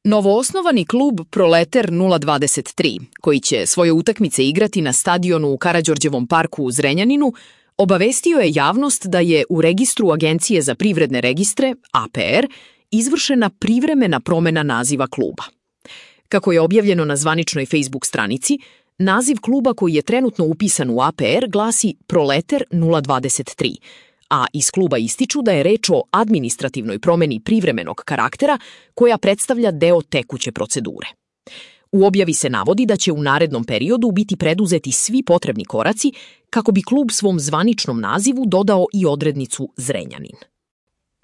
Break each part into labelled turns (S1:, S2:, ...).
S1: Novoosnovani klub Proleter 023, koji će svoje utakmice igrati na stadionu u Karađorđevom parku u Zrenjaninu, obavestio je javnost da je u registru Agencije za privredne registre, APR, izvršena privremena promena naziva kluba. Kako je objavljeno na zvaničnoj Facebook stranici, naziv kluba koji je trenutno upisan u APR glasi Proleter 023, a iz kluba ističu da je reč o administrativnoj promeni privremenog karaktera koja predstavlja deo tekuće procedure. U objavi se navodi da će u narednom periodu biti preduzeti svi potrebni koraci kako bi klub svom zvaničnom nazivu dodao i odrednicu Zrenjanin.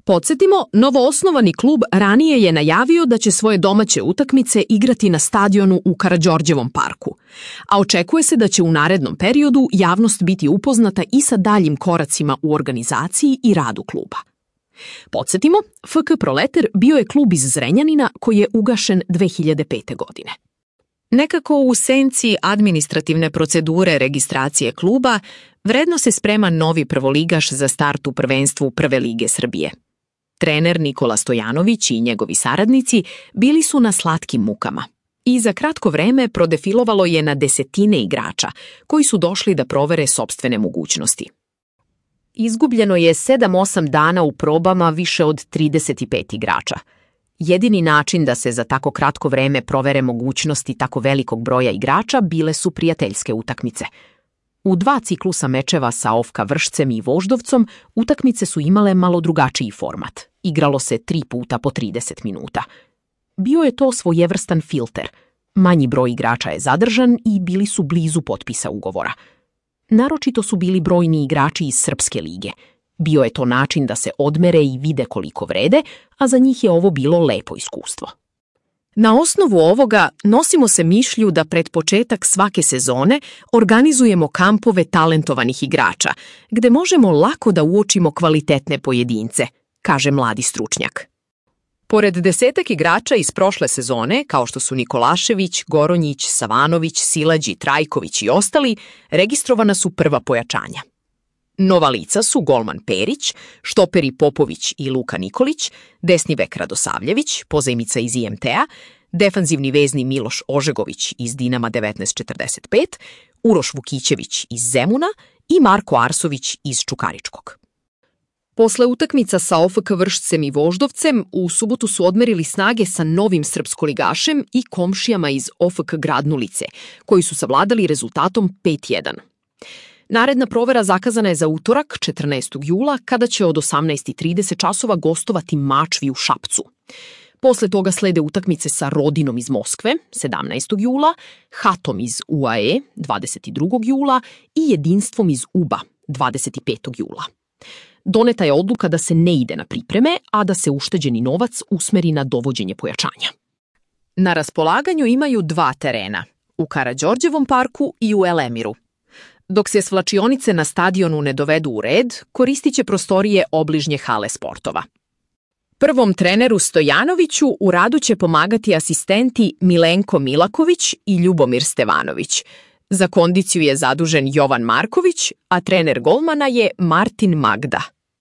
S1: Podsjetimo, novoosnovani klub ranije je najavio da će svoje domaće utakmice igrati na stadionu u Karađorđevom parku, a očekuje se da će u narednom periodu javnost biti upoznata i sa daljim koracima u organizaciji i radu kluba. Podsjetimo, FK Proleter bio je klub iz Zrenjanina koji je ugašen 2005. godine. Nekako u senci administrativne procedure registracije kluba, vredno se sprema novi prvoligaš za start u prvenstvu Prve lige Srbije. Trener Nikola Stojanović i njegovi saradnici bili su na slatkim mukama i za kratko vreme prodefilovalo je na desetine igrača koji su došli da provere sopstvene mogućnosti. Izgubljeno je 7-8 dana u probama više od 35 igrača. Jedini način da se za tako kratko vreme provere mogućnosti tako velikog broja igrača bile su prijateljske utakmice. U 2 ciklusa mečeva sa OFK Vršcem i Voždovcom utakmice su imale malo drugačiji format. Igralo se 3 puta po 30 minuta. Bio je to svojevrstan filter. Manji broj igrača je zadržan i bili su blizu potpisa ugovora. Naročito su bili brojni igrači iz Srpske lige. Bio je to način da se odmere i vide koliko vrede, a za njih je ovo bilo lepo iskustvo. Na osnovu ovoga nosimo se mišlju da pred početak svake sezone organizujemo kampove talentovanih igrača, gde možemo lako da uočimo kvalitetne pojedince, kaže mladi stručnjak. Pored 10 igrača iz prošle sezone, kao što su Nikolašević, Goronjić, Savanović, Silađi, Trajković i ostali, registrovana su prva pojačanja. Nova lica su golman Perić, štoperi Popović i Luka Nikolić, desni bek Radosavljević, pozajmica iz IMT-a, defanzivni vezni Miloš Ožegović iz Dinama 1945, Uroš Vukićević iz Zemuna i Marko Arsović iz Čukaričkog. Posle utakmica sa OFK Vršcem i Voždovcem, u subotu su odmerili snage sa novim srpskoligašem i komšijama iz OFK Gradnulice, koji su savladali rezultatom 5-1. Naredna provera zakazana je za utorak, 14. jula, kada će od 18:30 časova gostovati Mačvi u Šapcu. Posle toga slede utakmice sa Rodinom iz Moskve, 17. jula, Hatom iz UAE, 22. jula i Jedinstvom iz UBA, 25. jula. Doneta je odluka da se ne ide na pripreme, a da se ušteđeni novac usmeri na dovođenje pojačanja. Na raspolaganju imaju 2 terena, u Karađorđevom parku i u Elemiru. Dok se svlačionice na stadionu ne dovedu u red, koristit će prostorije obližnje hale sportova. Prvom treneru Stojanoviću u radu će pomagati asistenti Milenko Milaković i Ljubomir Stevanović. Za kondiciju je zadužen Jovan Marković, a trener golmana je Martin Magda.